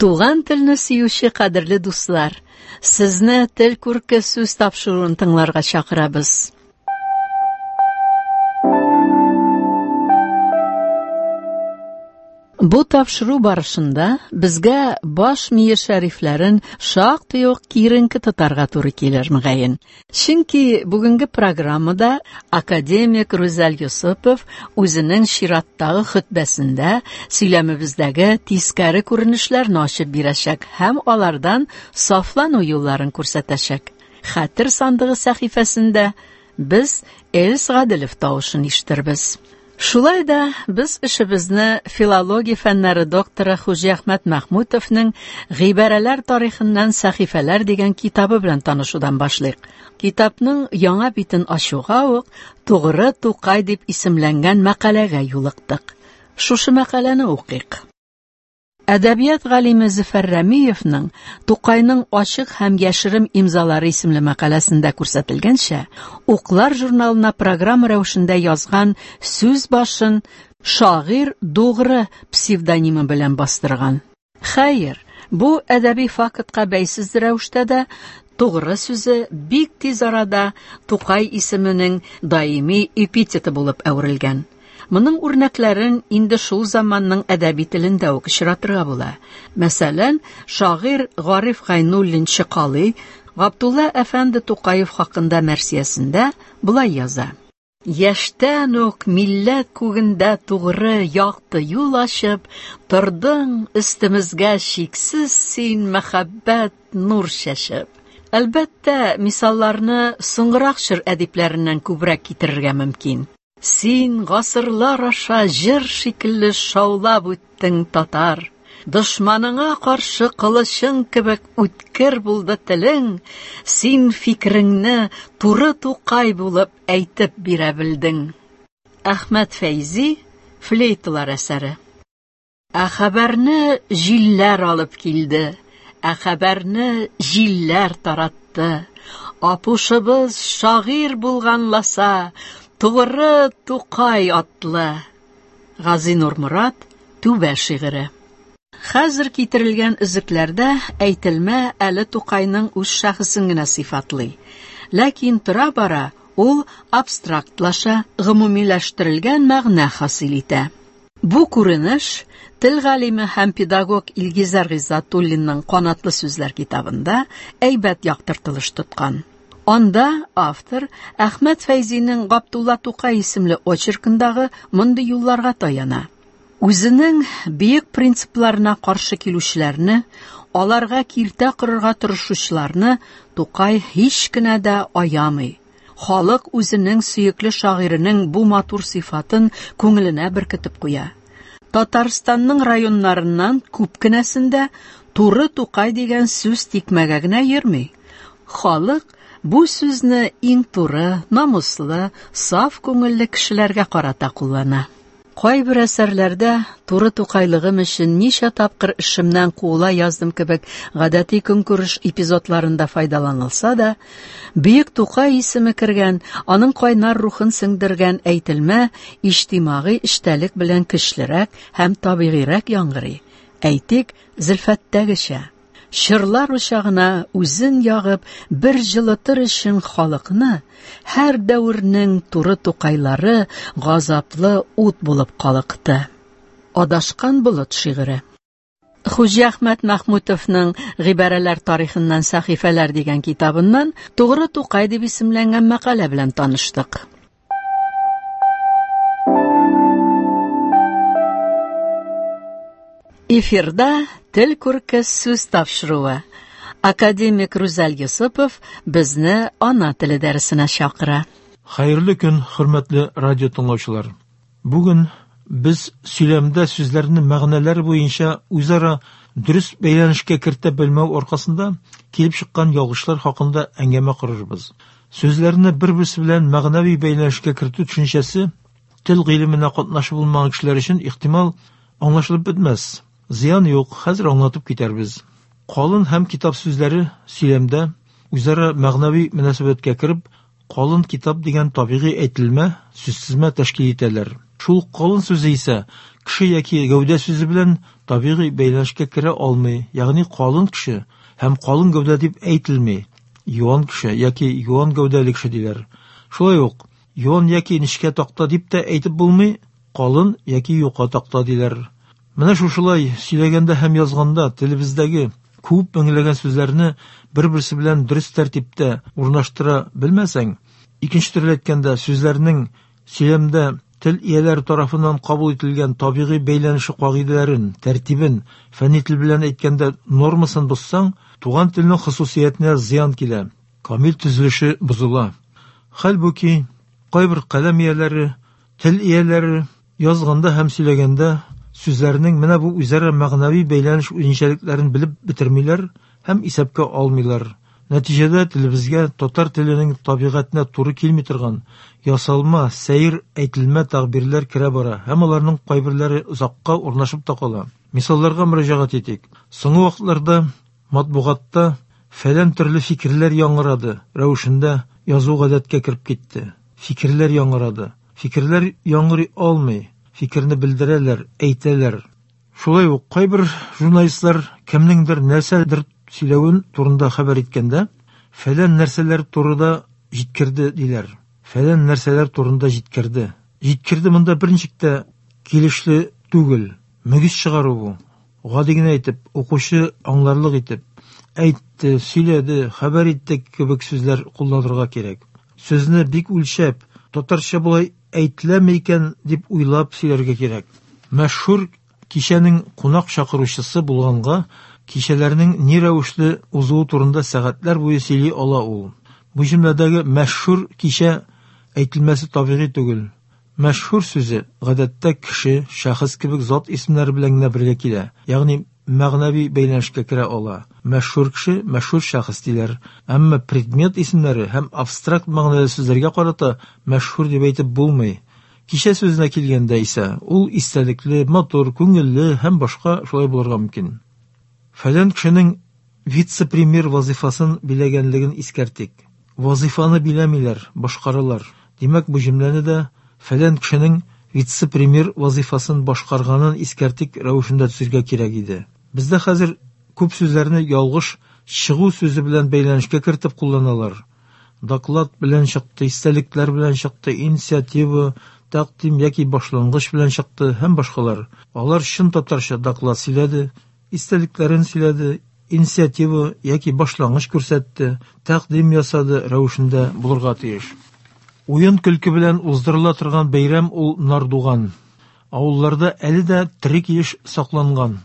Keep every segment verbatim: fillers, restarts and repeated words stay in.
Туган телне сөюче кадерле дуслар, сезне Тел күрке сүз тапшыруын тыңларга чакырабыз. Бу тапшыру барышында безгә баш мие шәрифләрен шактый ук киеренке тотарга туры килер мөгаен. Чөнки бүгенге программада академик Рүзәл Йосыпов үзенең чираттагы хөтбәсендә сөйләмебездәге тискәре күренешләрне ачып бирәчәк һәм алардан сафлану юлларын күрсәтәчәк. Хәтер сандыгы сәхифәсендә без Эльс Гаделев тавышын ишетербез. Шулай да без эшебезне филология фәннәре докторы Хуҗиәхмәт Мәхмүтовның Гыйбарәләр тарихыннан сәхифәләр дигән китабы белән танышудан башлыйк. Китапның яңа битен ачуга ук Тугры Тукай дип исемләнгән мәкаләгә юлыктык. Шушы мәкаләне укыйк. Әдәбият галиме Зөфәр Рәмиевның Тукайның ачык һәм яшерен имзалары исемле мәкаләсендә күрсәтелгәнчә, Уклар журналына программа рәвешендә язган сүз башын шагыйрь Дугры псевдонимы белән бастырган. Хәер, бу әдәби фактка бәйсез рәвештә дә Тугры сүзе бик тиз арада Тукай исеменең даими эпитеты булып әверелгән. Моның үрнәкләрен инде шул заманның әдәби телендә үк очратырга була. Мәсәлән, шагыйрь Гариф Гайнуллин Чыкалый Габдулла әфәнде Тукаев хакында мәрсиясендә болай яза: Яшьтән үк милләт күгендә тугры якты юл ачып, тордың өстемезгә чиксез син мәхәббәт нур чәчеп. Әлбәттә, мисалларны соңгырак чор әдипләреннән күбрәк китерергә мөмкин. Син гасырлар аша җыр шикелле шаулап үттең, татар. Дошманыңа каршы кылычың кебек үткер булды телең. Син фикереңне туры Тукай булып әйтеп бирә белдең. Әхмәт Фәйзи, Флейталар әсәре. Ә хәбәрне җилләр алып килде, ә хәбәрне җилләр таратты. Апушыбыз шагыйрь булганласа, Тугры Тукай атлы. Газинур Морат, Түбә шигыре. Хәзер китерелгән өзекләрдә әйтелмә әле Тукайның үз шәхесен генә сыйфатлый. Ләкин тора-бара ул абстрактлаша, гомумиләштерелгән мәгънә хасил итә. Бу күренеш тел галиме һәм педагог Илгизәр Гыйззәтуллинның Канатлы сүзләр китабында әйбәт яктыртылыш тоткан. Анда автор Әхмәт Фәйзинең Габдулла Тукай исемле очеркындагы мондый юлларга таяна. Үзенең бөек принципларына каршы килүчеләрне, аларга киртә корырга тырышучыларны Тукай һич кенә дә аямый. Халык үзенең сөекле шагыйренең бу матур сыйфатын күңеленә беркетеп куя. Татарстанның районнарыннан күп кенәсендә туры Тукай дигән сүз тикмәгә генә йөрми. Халык бу сүзне иң туры, намуслы, саф күңелле кешеләргә карата куллана. Кайбер әсәрләрдә туры Тукайлыгым өчен ничә тапкыр эшемнән куыла яздым кебек гадәти көнкүреш эпизодларында файдаланылса да, бөек Тукай исеме кергән, аның кайнар рухын сеңдергән әйтелмә иҗтимагый эчтәлек белән көчлерәк һәм табигыйрәк яңгырый. Әйтик, Зөлфәттәгечә. Чырлар учагына үзен ягып, бер җылытыр өчен халыкны, һәр дәвернең туры Тукайлары газаплы ут булып калыкты. Адашкан болыт шигыре. Хуҗиәхмәт Мәхмүтовның Гыйбарәләр тарихыннан сәхифәләр дигән китабыннан Тугры Тукай дип исемләнгән мәкалә белән таныштык. Эфирда Тел күрке сүз тапшыруы. Академик Рүзәл Йосыпов безне ана теле дәресенә чакыра. Хәерле көн, хөрмәтле радио тыңлаучылар. Бүген без сөйләмдә сүзләрне мәгънәләр буенча үзара дөрес бәйләнешкә кертә белмәү аркасында килеп чыккан ялгышлар хакында әңгәмә корырбыз. Сүзләрне бер-берсе белән мәгънәви бәйләнешкә кертү төшенчәсе тел гыйлеменә катнашы булмаган кешеләр өчен ихтимал аңлашылып бетмәс. Зыян юк, хәзер аңлатып китәрбез. Калын һәм китап сүзләре сөйләмдә үзара мәгънәви мөнәсәбәткә кереп, калын китап дигән табигый әйтелмә, сүзсезмә тәшкил итәләр. Шул калын сүзе исә кеше яки гәүдә сүзе белән табигый бәйләнешкә керә алмый, ягъни калын кеше һәм калын гәүдә дип әйтелми. Юан кеше яки юан гәүдәле кеше диләр. Шулай ук юан яки нечкә такта дип тә әйтеп булмый, калын яки юка такта диләр. Менә шушылай сөйләгәндә һәм язганда телебездәге күп меңләгән сүзләрне бер-берсе белән дөрес тәртиптә урнаштыра белмәсәң, икенче төрле әйткәндә, сүзләрнең сөйләмдә тел ияләре тарафыннан кабул ителгән табигый бәйләнеше кагыйдәләрен, тәртибен, фәнни тел белән әйткәндә нормасын бозсаң, туган телнең хосусиятенә зыян килә, камил төзелеше бозыла. Хәлбуки, кайбер каләм ияләре, тел ияләре язганда һәм сөйләгәндә сүзләрнең менә бу үзара мәгънәви бәйләнеш үзенчәлекләрен белеп бетермиләр һәм исәпкә алмыйлар. Нәтиҗәдә телебезгә татар теленең табигатенә туры килми торган ясалма, сәер әйтелмә тәгъбирләр керә бара һәм аларның кайберләре озакка урнашып та кала. Мисалларга мөрәҗәгать итик. Соңгы вакытларда матбугатта фәлән төрле фикерләр яңгырады рәвешендә язу гадәткә кереп китте. Фикерләр яңгырады. Фикерләр яңгырый алмый. Фикерне белдерәләр, әйтәләр. Шулай ук кайбер журналистлар кемнеңдер нәрсәдер сөйләвен турында хәбәр иткәндә, фәлән нәрсәләр турында җиткерде диләр. Фәлән нәрсәләр турында җиткерде. Җиткерде монда берничек тә килешле түгел. Мөгез чыгару бу. Гади генә әйтеп, укучы аңларлык итеп, әйтте, сөйләде, хәбәр итте кебек сүзләр кулланырга кирәк. Сүзне бик үлчәп, татарча болай әйтеләме икән дип уйлап сөйләргә кирәк. Мәшһүр кичәнең кунак чакыручысы булганга, кичәләрнең ни рәвешле узуы турында сәгатьләр буе сөйли ала ул. Бу җөмләдәге мәшһүр кичә әйтелмәсе табигый түгел. Мәшһүр сүзе гадәттә кеше, шәхес кебек зат исемнәре белән генә бергә килә, ягъни мәгънәви бәйләнешкә керә ала. Мәшһүр кеше, мәшһүр шәхес диләр. Әмма предмет исемнәре һәм абстракт мәгънәле сүзләргә карата мәшһүр дип әйтеп булмый. Кичә сүзенә килгәндә исә, ул истәлекле, матур, күңелле һәм башка шулай булырга мөмкин. Фәлән кешенең вице-премьер вазифасын биләгәнлеген искәртик. Вазифаны биләмиләр, башкаралар. Димәк, бу җөмләне дә фәлән кешенең вице-премьер вазифасын башкарганын искәртик рәвешендә төзергә кирәк иде. Бездә хәзер күп сүзләрне ялгыш чыгу сүзе белән бәйләнешкә кертеп кулланалар. Доклад белән чыкты, истәлекләр белән чыкты, инициатива, тәкъдим яки башлангыч белән чыкты һәм башкалар. Алар чын татарча доклад сөйләде, истәлекләрен сөйләде, инициатива яки башлангыч күрсәтте, тәкъдим ясады рәвешендә булырга тиеш. Уен көлке белән уздырыла торган бәйрәм ул Нардуган. Авылларда әле дә тере килеш сакланган.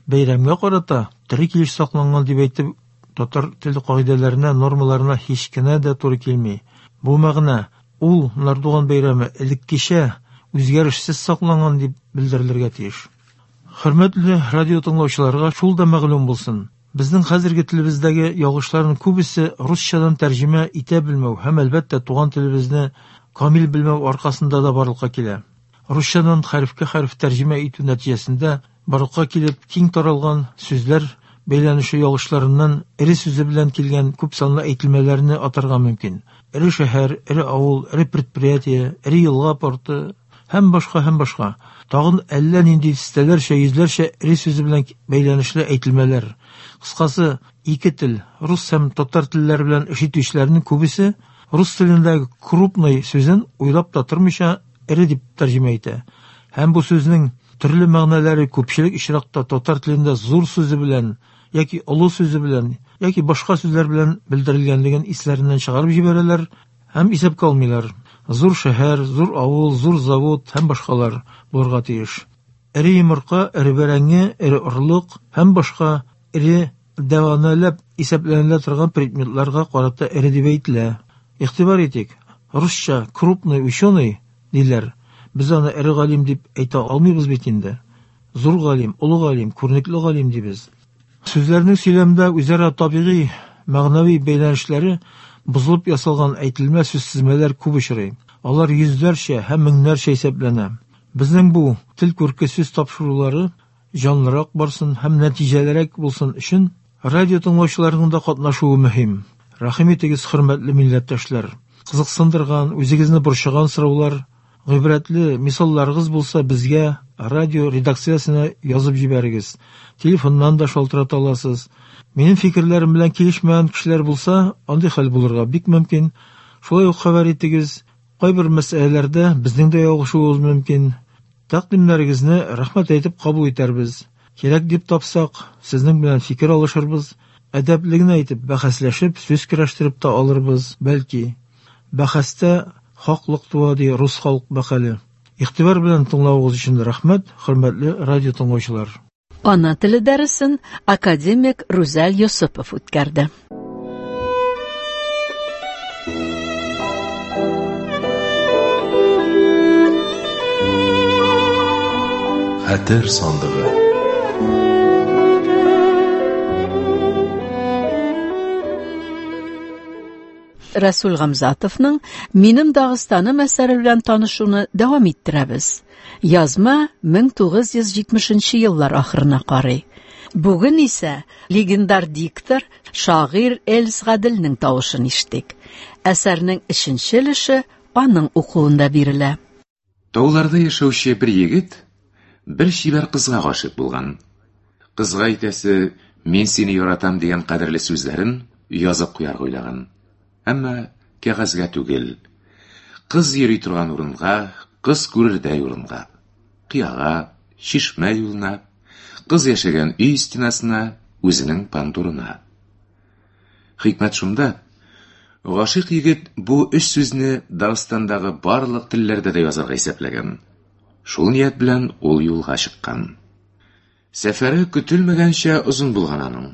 Бәйрәмгә карата тере килеш сакланган дип әйтеп, татар теле кагыйдәләренә, нормаларына һич кенә дә туры килми. Бу мәгънә ул Нардуган бәйрәме элеккечә үзгәрешсез сакланган дип белдерелергә тиеш. Хөрмәтле радио тыңлаучыларга шул да мәгълүм булсын. Безнең хәзерге телебездәге ялгышларның күбесе русчадан тәрҗемә итә белмәү һәм әлбәттә туган телебезне камил белмәү аркасында да барлыкка килә. Русчадан хәрефкә хәреф тәрҗемә итү нәтиҗәсендә барлыкка килеп киң таралган сүзләр бәйләнеше ялгышларыннан эре сүзе белән килгән күп санлы әйтелмәләрне атарга мөмкин. Эре шәһәр, эре авыл, эре предприятие, эре елга порты һәм башка һәм башка. Тагын әллә нинди дистәләрчә, йөзләрчә эре сүзе белән бәйләнешле әйтелмәләр. Кыскасы, ике тел, рус һәм татар телләре белән эш итүчеләрнең күбесе рус телендәге крупный сүзен уйлап та тормыйча эре дип тәрҗемә итә. Һәм бу сүзнең төрле мәгънәләре күпчелек очракта татар телендә зур сүзе белән яки олы сүзе белән яки башка сүзләр белән белдерелгәнлеген исләреннән чыгарып җибәрәләр һәм исәпкә алмыйлар. Зур шәһәр, зур авыл, зур завод һәм башкалар булырга тиеш. Эре йомырка, эре бәрәңге, эре орлык һәм башка эре дәваланып исәпләнелә торган предметларга карата эре дип әйтелә. Игътибар итик, русча крупный ученый диләр. Без аны эре галим дип әйтә алмыйбыз бит инде. Зур галим, олы галим, күренекле галим дибез. Сүзләрнең сөйләмдә үзара табигый, мәгънәви бәйләнешләре бозылып ясалган әйтелмә сүзтезмәләр күп очрый. Алар йөзләрчә һәм меңнәрчә исәпләнә. Безнең бу тел күрке сүз тапшырулары җанлырак барсын һәм нәтиҗәлерәк булсын өчен радио тыңлаучыларның да катнашуы мөһим. Рәхим итегез, хөрмәтле милләттәшләр. Кызыксындырган, үзегезне борчыган сораулар, гыйбрәтле мисалларыгыз булса безгә радио редакциясенә язып җибәрегез. Телефоннан да шалтырата аласыз. Минем фикерләрем белән килешмәгән кешеләр булса, андый хәл булырга бик мөмкин. Шулай ук хәбәр итегез. Кайбер мәсьәләләрдә безнең дә ялгышуыбыз мөмкин. Тәкъдимнәрегезне рәхмәт әйтеп кабул итәрбез. Кирәк дип тапсак, сезнең белән фикер алышырбыз. Әдәпле генә итеп бәхәсләшеп, сүз көрәштереп тә алырбыз, бәлки. Бәхәстә хаклык туа ди рус халык мәкале. Игътибар белән тыңлавыгыз өчен рәхмәт, хөрмәтле радио тыңлаучылар. Ана теле дәресен академик Рүзәл Йосыпов үткәрде. Хәтер сандыгы. Рәсүл Гамзатовның «Минем Дагыстаным» әсәре белән танышуны дәвам иттерәбез. Язма мең тугыз йөз җитмешенче еллар ахырына карый. Бүген исә легендар диктор, шагыйрь Эльс Гаделнең тавышын ишеттек. Әсәрнең өченче өлеше аның укуында бирелә. Тауларда яшәүче бер егет бер чибәр кызга гашыйк булган. Кызга әйтәсе «Мин сине яратам» дигән кадерле сүзләрен язып куярга уйлаган. Әмма кәгазьгә түгел. Кыз йөри торган урынга, кыз күрердәй урынга, кыяга, чишмә юлына, кыз яшәгән өй стенасына, үзенең пандурына. Хикмәт шунда, гашыйк егет бу өч сүзне Дагыстандагы барлык телләрдә дә язарга исәпләгән. Шул ният белән ул юлга чыккан. Сәфәре көтелмәгәнчә озын булган аның.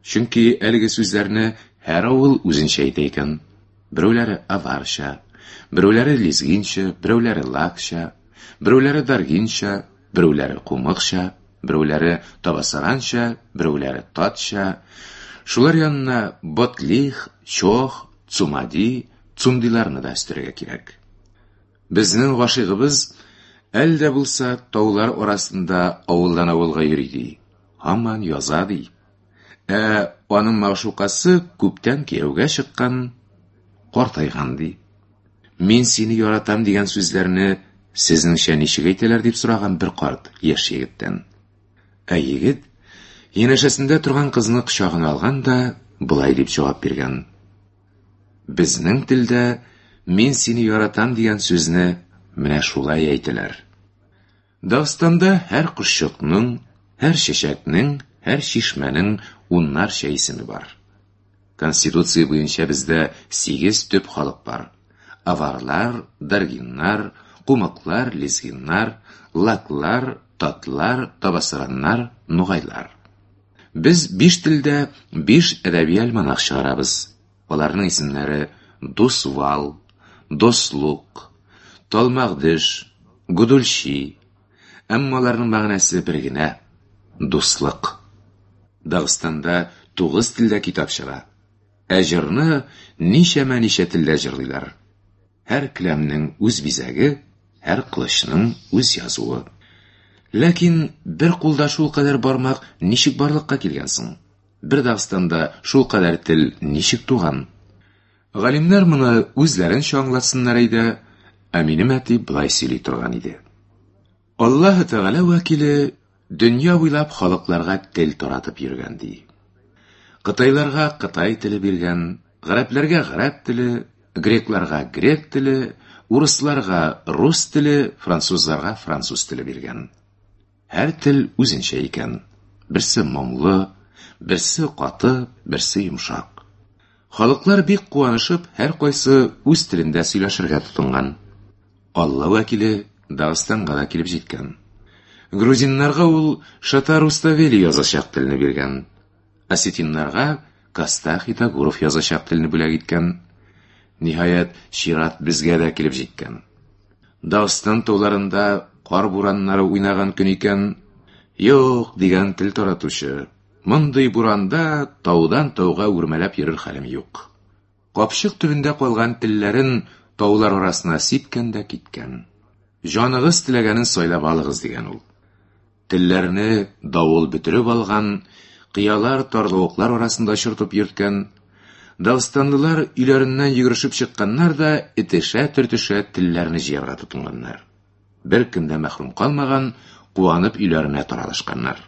Чөнки әлеге сүзләрне һәр авыл үзенчә әйтә икән. Берәүләре аварча, берәүләре лезгинчә, берәүләре лакча, берәүләре даргинча, берәүләре кумыкча, берәүләре табасаранча, берәүләре татча. Шулар янына ботлих, чох, цумади, цумдиларны да өстәргә кирәк. Безнең гашыйгыбыз әле дә булса таулар арасында авылдан авылга йөри ди, һаман яза ди. Ә аның мәгъшукасы күптән кияүгә чыккан, картайган ди. Мин сине яратам дигән сүзләрне сезнеңчә ничек әйтәләр дип сораган бер карт яшь егеттән. Ә егет янәшәсендә торган кызны кочагына алган да болай дип җавап биргән: Безнең телдә мин сине яратам дигән сүзне менә шулай әйтәләр. Дагыстанда һәр кошчыкның, һәр чәчәкнең, һәр чишмәнең уннарча исеме бар. Конституция буенча бездә сигез төп халык бар. Аварлар, даргиннар, кумыклар, лезгиннар, лаклар, татлар, табасараннар, нугайлар. Без биш телдә биш әдәби альманах чыгарабыз. Аларның исемнәре Дусвал, Дослук, Талмагдыш, Гудульчи. Әмма аларның мәгънәсе бер генә – дуслык. Дагыстанда тугыз телдә китап чыга. Ә җырны ничәмә-ничә телдә җырлыйлар. Һәр келәмнең үз бизәге, һәр кылычның үз язуы. Ләкин бер кулда шул кадәр бармак ничек барлыкка килгән соң? Бер Дагыстанда шул кадәр тел ничек туган? Галимнәр моны үзләренчә аңлатсыннар иде, ә минем әти болай сөйли торган иде. Аллаһы Тәгалә вәкиле дөнья буйлап халыкларга тел таратып йөргән ди. Кытайларга кытай теле биргән, гарәпләргә гарәп теле, грекларга грек теле, урысларга рус теле, французларга француз теле биргән. Һәр тел үзенчә икән. Берсе моңлы, берсе каты, берсе йомшак. Халыклар бик куанышып, һәр кайсы үз телендә сөйләшергә тотынган. Алла вәкиле Дагыстанга да килеп җиткән. Грузиннарга ул Шата Руставели язачак телне биргән. Осетиннарга Костах Итагуров язачак телне бүләк иткән. Ниһаять, чират безгә дә килеп җиткән. Дагыстан тауларында кар бураннары уйнаган көн икән. Юк, дигән тел таратучы. Мондый буранда таудан тауга үрмәләп йөрер хәлем юк. Капчык төбендә калган телләрен таулар арасына сипкән дә киткән. Җаныгыз теләгәнен сайлап алыгыз дигән ул. Телләрне давыл бөтереп алган, кыялар тарлавыклар арасында чыртып йөрткән. Дагыстанлылар өйләреннән йөгерешеп чыкканнар да этешә-төртешә телләрне җыярга тотынганнар. Бер кем дә мәхрүм калмаган, куанып өйләренә таралышканнар.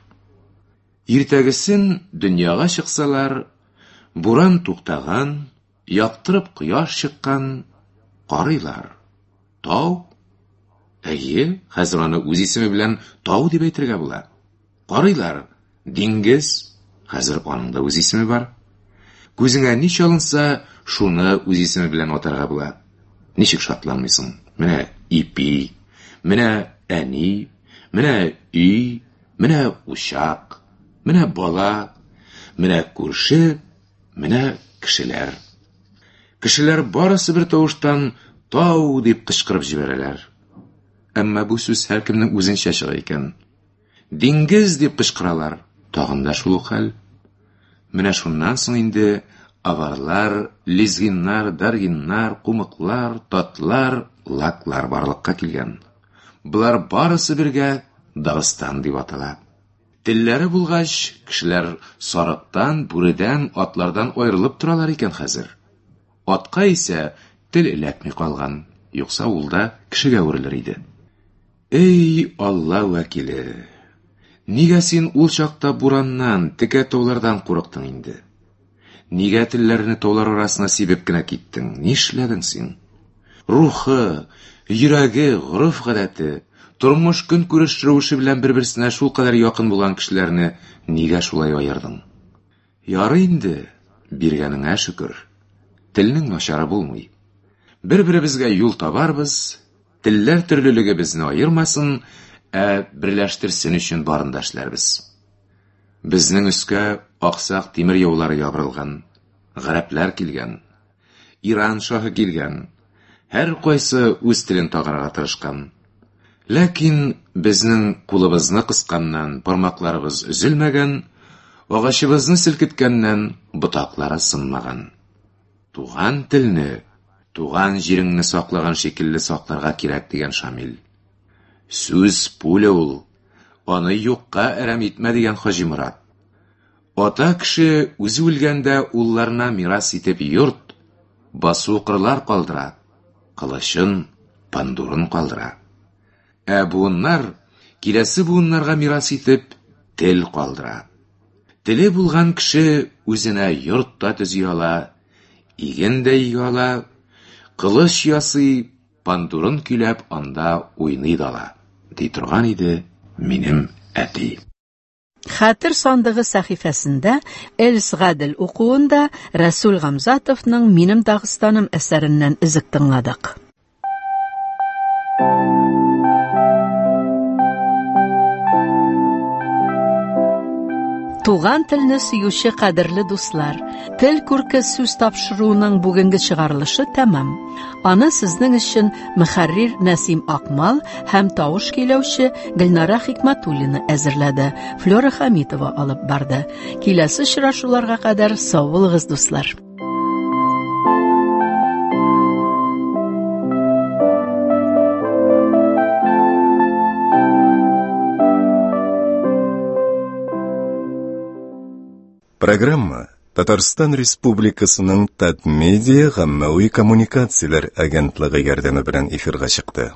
Иртәгесен дөньяга чыксалар, буран туктаган, яктырып кояш чыккан, карыйлар. Тау? Әйе, хәзер аны үз исеме белән тау дип әйтергә була. Карыйлар, диңгез, хәзер аның да үз исеме бар. Күзеңә ни чалынса, шуны үз исеме белән атарга була. Ничек шатланмыйсың? Менә ипи, менә әни, менә өй, менә учак, менә бала, менә күрше, менә кешеләр. Кешеләр барысы бер тавыштан тау дип кычкырып җибәрәләр. Әмма бу сүз һәркемнең үзенчә чыга икән. Диңгез дип кычкыралар. Тагын да шул ук хәл. Менә шуннан соң инде аварлар, лезгиннар, даргиннар, кумыклар, татлар, лаклар барлыкка килгән. Болар барысы бергә Дагыстан дип атала. Телләре булгач, кешеләр сарыктан, бүредән, атлардан аерылып торалар икән хәзер. Атка исә тел эләкми калган, юкса ул да кешегә әверелер иде. Эй, Алла вәкиле! Нигә син ул чакта бураннан, текә таулардан курыктың инде? Нигә телләрне таулар арасына сибеп кенә киттең? Нишләдең син? Рухы, йөрәге, гореф-гадәте, тормыш көнкүреш рәвеше белән бер-берсенә шулкадәр якын булган кешеләрне нигә шулай аердың? Ярый инде, биргәнеңә шөкер. Телнең начары булмый. Бер-беребезгә юл табарбыз, телләр төрлелеге безне аермасын, ә берләштерсен өчен барын да эшләрбез. Безнең өскә аксак тимер яулары ябырылган, гарәпләр килгән, Иран шаһы килгән, һәр кайсы үз телен тагарга тырышкан. Ләкин безнең кулыбызны кысканнан бармакларыбыз өзелмәгән, агачыбызны селкеткәннән ботаклары сынмаган. Туган телне, туган җиреңне саклаган шикелле сакларга кирәк дигән Шамил. Сүз пуля ул, аны юкка әрәм итмә дигән Хаҗи Морат. Ата кеше үзе үлгәндә улларына мирас итеп йорт, басу кырлар калдыра, кылычын, пандурын калдыра. Ә буыннар киләсе буыннарга мирас итеп тел калдыра. Теле булган кеше үзенә йорт та төзи ала, иген дә игә ала, кылыч ясый, пандурын көйләп анда уйный да ала, ди торган иде минем әти. Хәтер сандыгы сәхифәсендә Эльс Гадел укуында Рәсүл Гамзатовның Минем Дагыстаным әсәреннән өзек тыңладык. Туган телне сөюче кадерле дуслар, Тел күрке сүз тапшыруының бүгенге чыгарылышы тәмам. Аны сезнең өчен мөхәррир Нәсим Акмал һәм тавыш көйләүче Гөлнара Хикмәтуллина әзерләде. Флера Хамитова алып барды. Киләсе очрашуларга кадәр сау булыгыз, дуслар. Программа Татарстан Республикасының Татмедиа гаммәви коммуникацияләр агентлыгы ярдәме белән эфирга чыкты.